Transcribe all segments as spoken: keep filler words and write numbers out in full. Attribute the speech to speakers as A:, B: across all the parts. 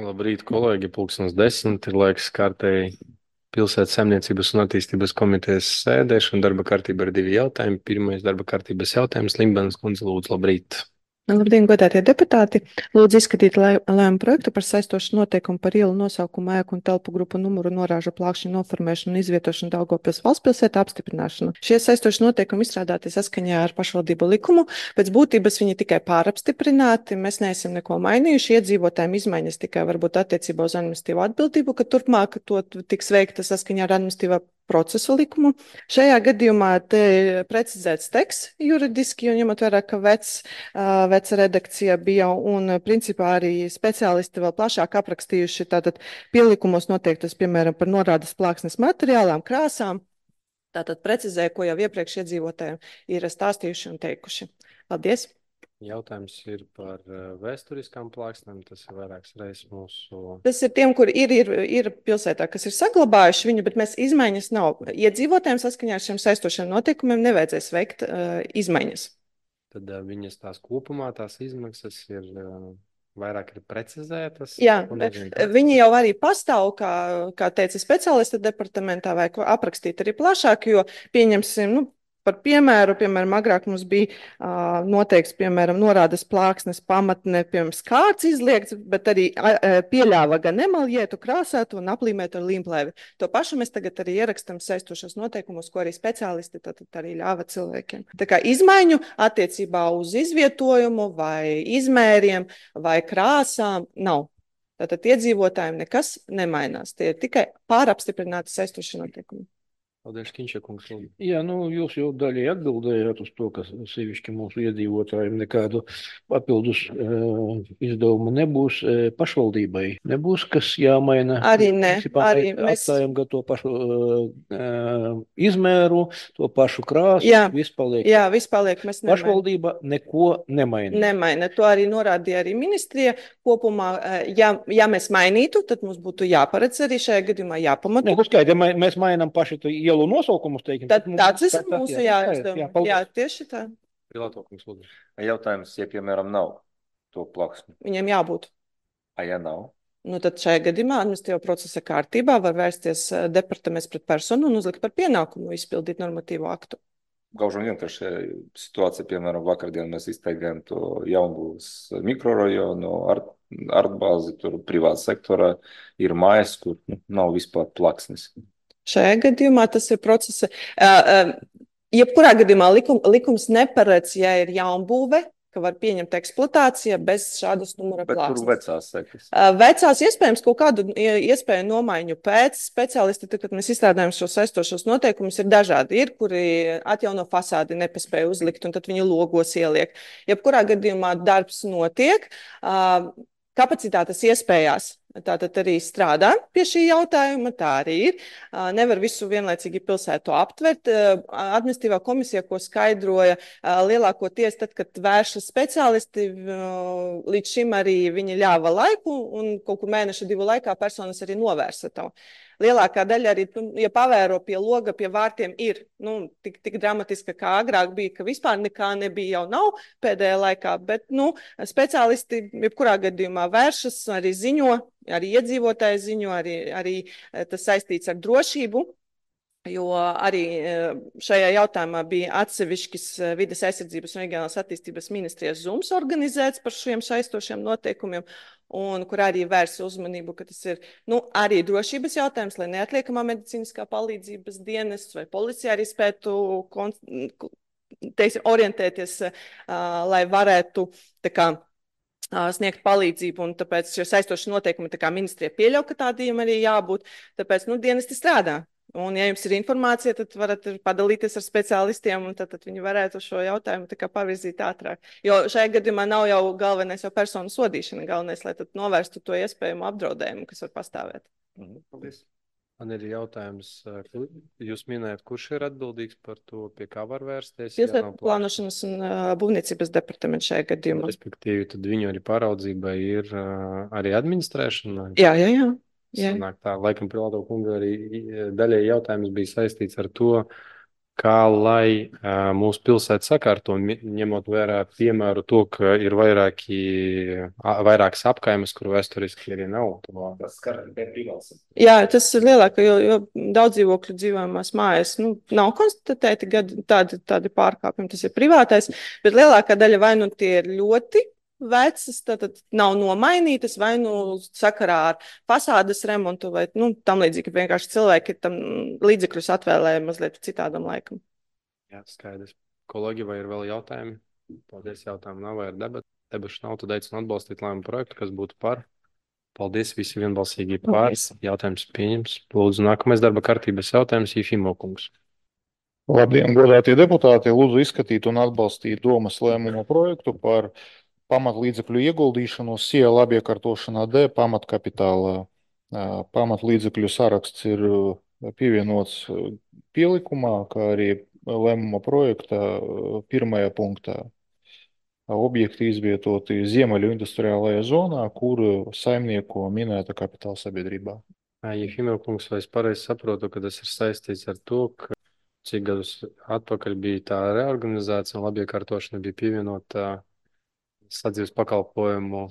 A: Labrīt, kolēģi. Pulkstens desmit ir laiks kārtēji pilsētas saimniecības un attīstības komitejas sēdēšana. Darba kārtība ir divi jautājumi. Pirmais darba kārtības jautājums. Limbanas kundze, lūdzu, labrīt.
B: Labdien, godātie deputāti! Lūdzu izskatīt lēmumu projektu par saistošu noteikumu par ielu nosaukumu, ēku un telpu grupu numuru, norāžu plākšņu noformēšanu un izvietošanu Daugavpils valstspilsētā apstiprināšanu. Šie saistoši noteikumi izstrādāti saskaņā ar pašvaldību likumu. Pēc būtības viņi tikai pārapstiprināti. Mēs neesam neko mainījuši. Iedzīvotājiem izmaiņas tikai varbūt attiecībā uz administratīvo atbildību, ka turpmāk to tiks veikta saskaņā ar administratīvā procesu likumu. Šajā gadījumā te precizēts teksts juridiski, un ņemot vērā, ka vecs, veca redakcija bija, un principā arī speciālisti vēl plašāk aprakstījuši tātad pielikumos noteiktas, piemēram, par norādes plāksnes materiālām, krāsām. Tātad precizēja, ko jau iepriekš iedzīvotājiem ir stāstījuši un teikuši. Paldies!
A: Jautājums ir par vēsturiskām plāksnēm. Tas ir vairākas reizes mūsu.
B: Tas ir tiem, kuri ir, ir, ir pilsētā, kas ir saglabājuši viņu, bet mēs izmaiņas nav. Iedzīvotājiem saskaņā ar šiem saistošiem noteikumiem nevajadzēs veikt uh, izmaiņas.
A: Tad uh, viņas tās kopumā, tās izmaksas ir uh, vairāk ir precizētas.
B: Jā, viņi jau arī pastāv, kā, kā teica speciālista departamentā, vai ko aprakstīt arī plašāk, jo pieņemsim, nu, par piemēru, piemēram, agrāk mums bija uh, noteikts, piemēram, norādes plāksnes pamatne, piemēram, skārts izliegts, bet arī uh, pieļāva gan emaljētu, krāsētu un aplīmētu ar līmplēvi. To pašu mēs tagad arī ierakstam saistošos noteikumus, ko arī speciālisti tad, tad arī ļāva cilvēkiem. Tā kā izmaiņu attiecībā uz izvietojumu vai izmēriem vai krāsām nav. Tātad iedzīvotājiem nekas nemainās. Tie ir tikai pārapstiprināti saistošie noteikumi.
A: Paldies, Kinčakungs.
C: Jā, nu, jūs jau daļai atbildējāt uz to, ka sevišķi mūsu iedzīvotājiem nekādu papildus uh, izdevumu nebūs. Uh, pašvaldībai nebūs, kas jāmaina.
B: Arī ne.
C: Principā,
B: arī mēs
C: atstājam gan to pašu uh, uh, izmēru, to pašu krāsu.
B: Jā,
C: viss paliek.
B: jā, viss paliek. Mēs nemaina.
C: Pašvaldība neko nemaina.
B: Nemaina. To arī norādīja arī ministrija. Kopumā, ja, ja mēs mainītu, tad mums būtu jāparedz arī šajā gadījumā jāpamato.
C: Ne, skaidri, ja mēs mainām paši to ielu nosaukumus, teiksim.
B: Tad tāds ir
C: tā, tā,
B: mūsu
C: jā,
B: jāizdevumi. Jā, jā, tieši tā.
A: Pilātokungs, lūdzu.
D: Jautājums, ja, piemēram, nav to plaksni.
B: Viņiem jābūt.
D: A, ja nav?
B: Nu, tad šajā gadījumā administratīvā procesa kārtībā var vērsties departaments pret personu un uzlikt par pienākumu izpildīt normatīvo aktu.
D: Gaužam vienkārši situācija, piemēram, vakardien mēs izteigājam to Jaunbūvas mikrorajonu, art, artbāzi, tur privāta sektorā ir mājas, kur nu, nav vispār plaksnes.
B: Šajā gadījumā tas ir procesa. Uh, uh, jebkurā gadījumā likum, likums neparedz, ja ir jaunbūve, ka var pieņemt eksploatācija bez šādas numura plāksnes.
D: Bet tur vecās sekas?
B: Uh, vecās iespējams kaut kādu iespēju nomaiņu pēc speciālisti, tad, kad mēs izstrādājam šos saistošos noteikumus, ir dažādi. Ir, kuri atjauno fasādi nepaspēja uzlikt, un tad viņi logos ieliek. Jebkurā gadījumā darbs notiek, uh, kapacitātes iespējās. Tātad arī strādā pie šī jautājuma, tā arī ir. Nevar visu vienlaicīgi pilsētu aptvert. Administratīvā komisija, ko skaidroja lielākoties, tad, kad vēršas speciālisti, līdz šim arī viņi ļāva laiku, un kaut kur mēneša divu laikā personas arī novērsa to. Lielākā daļa arī, ja pavēro pie loga, pie vārtiem, ir nu, tik, tik dramatiska, kā agrāk bija, ka vispār nekā nebija, jau nav pēdējā laikā, bet nu, speciālisti jebkurā gadījumā vēršas, arī ziņo, arī iedzīvotāji ziņo, arī, arī tas saistīts ar drošību. Jo arī šajā jautājumā bija atsevišķis vides aizsardzības un reģionālās attīstības ministrijas Zooms organizēts par šiem saistošiem noteikumiem, un kur arī vērsa uzmanību, ka tas ir nu, arī drošības jautājums, lai neatliekamā medicīniskā palīdzības dienests vai policija arī spētu teiksim, orientēties, lai varētu tā kā sniegt palīdzību, un tāpēc šie saistošie noteikumi tā kā ministrija pieļauj, ka tādiem arī jābūt, tāpēc nu, dienesti strādā. Un, ja jums ir informācija, tad varat padalīties ar speciālistiem, un tad, tad viņi varētu šo jautājumu tā kā pavirzīt ātrāk. Jo šajā gadījumā nav jau galvenais jau personu sodīšana, galvenais, lai tad novērstu to iespējumu apdraudējumu, kas var pastāvēt.
D: Paldies.
A: Man ir jautājums, jūs minējat, kurš ir atbildīgs par to, pie kā var vērsties?
B: Pilsētu plānošanas un uh, būvniecības departaments šajā gadījumā.
A: Respektīvi, tad viņu arī pāraudzībai ir uh, arī administrēšana?
B: Jā, jā, jā. Jā.
A: Sanāk tā, laikam Pilāto kunga arī daļai jautājums bija saistīts ar to, kā lai uh, mūsu pilsēta sakārto, mi- ņemot vērā piemēru to, ka ir vairāki, a- vairākas apkaimes, kur vēsturiski arī nav to.
D: Tas skar tikai privāts.
B: Jā, tas ir lielāka, jo, jo daudz dzīvokļu dzīvojamās mājas nu, nav konstatēti gadi, tādi, tādi pārkāpumi, tas ir privātais, bet lielākā daļa vai nu tie ir ļoti vecas, tad nav nomainītas, vai nu sakarā ar fasādes remontu, vai nu, tam līdzīgi, ka vienkārši cilvēki tam līdzekļus atvēlēja mazliet citādam laikam.
A: Jā, skaidrs. Kolēģi, vai ir vēl jautājumi? Paldies, jautājumu nav, vai ir debat. Debašu nav, tad aicinu atbalstīt lēmumu projektu, kas būtu par. Paldies, visi vienbalsīgi par.
B: Paldies.
A: Jautājums pieņems. Lūdzu, nākamais darba kārtības jautājums, Jefimo kungs.
E: Labdien, godātie deputāti! Lūdzu izskatīt un atbalstīt domas lēmumu projektu par pamatlīdzekļu ieguldīšanu S I E L apiekārtošanā D pamatkapitālā. Ā, Pamatlīdzekļu saraksts ir ā, pievienots ā, pielikumā, kā arī lēmuma projekta ā, pirmajā punktā. Ā, Objekti izvietoti Ziemeļu industriālajā zonā, kur saimnieko minēta kapitāla sabiedrībā.
A: Jefimo kungs, vai es pareizi saprotu, ka tas ir saistīts ar to, ka cik gadus atpakaļ bija tā reorganizācija un labiekārtošana bija pievienota sadzīves pakalpojumu,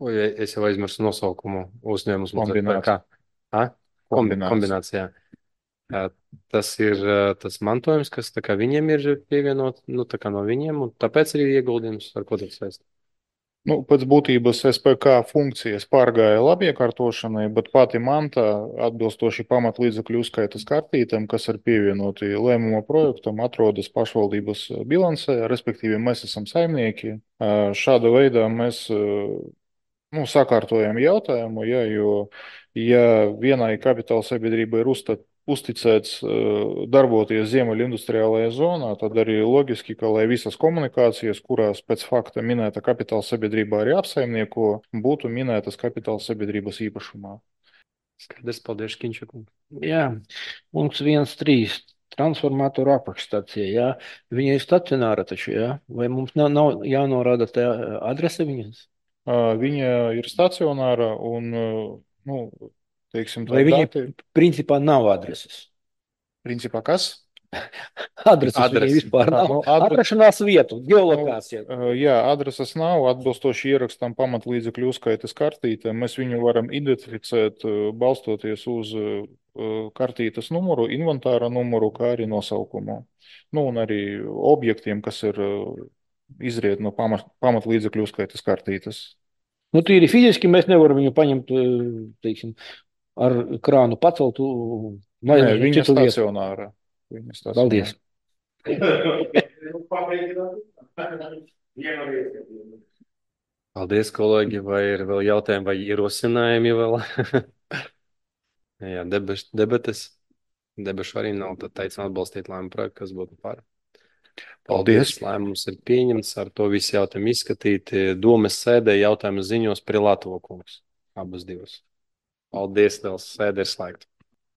A: oi, es jau aizmirsu nosaukumu uzņēmums.
E: Kombinācija.
A: Ha? Kombi-
E: Kombinācija.
A: Kombinācijā. Ā, Tas ir ā, tas mantojums, kas tā kā viņiem ir pievienot, nu tā kā no viņiem, un tāpēc arī ieguldījums, ar ko tas saist.
E: Nu, pēc būtības S P K funkcijas pārgāja labiekārtošanai, bet pati manta atbilstoši pamatlīdzekļu uzskaitas kartītēm, kas ir pievienoti lēmuma projektam, atrodas pašvaldības bilancē, respektīvi mēs esam saimnieki. Ā, Šāda veidā mēs ā, nu, sakārtojam jautājumu, ja, jo ja vienai kapitāla sabiedrībai ir uzstat, uzticēts ā, darboties Ziemeļu industriālajā zonā, tad arī loģiski, ka lai visas komunikācijas, kurās pēc fakta minēta kapitāla sabiedrība arī apsaimnieko, būtu minētas kapitāla sabiedrības īpašumā.
A: Skaidrs, paldies, Kinčakungs.
C: Jā, punkts viens trīs. Transformatoru apakšstācija, jā. Viņa ir stacionāra taču, jā. Vai mums nav, nav jānorāda tā adrese viņas?
E: Ā, Viņa ir stacionāra un, ā, nu, teiksim, tā
C: Vai viņai
E: dati,
C: principā nav adreses?
E: principā kas?
C: Adreses viņai
A: Adrese.
C: vispār
E: Ā,
C: nav.
E: nu, adre-
C: Atrašanās vietu, geolokācija.
E: Uh, Jā, adreses nav. Atbilstoši ierakstam pamatlīdzekļu uzskaites kartītē, mēs viņu varam identificēt, uh, balstoties uz uh, kartītes numuru, inventāra numuru, kā arī nosaukumu. Nu, un arī objektiem, kas ir uh, izriet no pamat, pamatlīdzekļu uzskaites kartītes.
C: Nu, tīri fiziski mēs nevaram viņu paņemt, teiksim, ar krānu pacelt vai
E: Nē,
C: uz
E: viņa
C: citu vietu.
E: stacionāra. Viņa stacionāra.
C: Paldies.
A: Paldies, kolēģi, vai ir vēl jautājumi vai ierosinājumi vēl? Jā, debeš, debates. Debašu arī nav, tad aicinu atbalstīt lēmumu projektu, kas būtu par.
E: Paldies.
A: Lēmums ir pieņemts, ar to visi jautājumi izskatīti. Domes sēdē jautājumu ziņos Prilatovo kungs. Abas divas. Paldies, vēl sēde ir slēgta.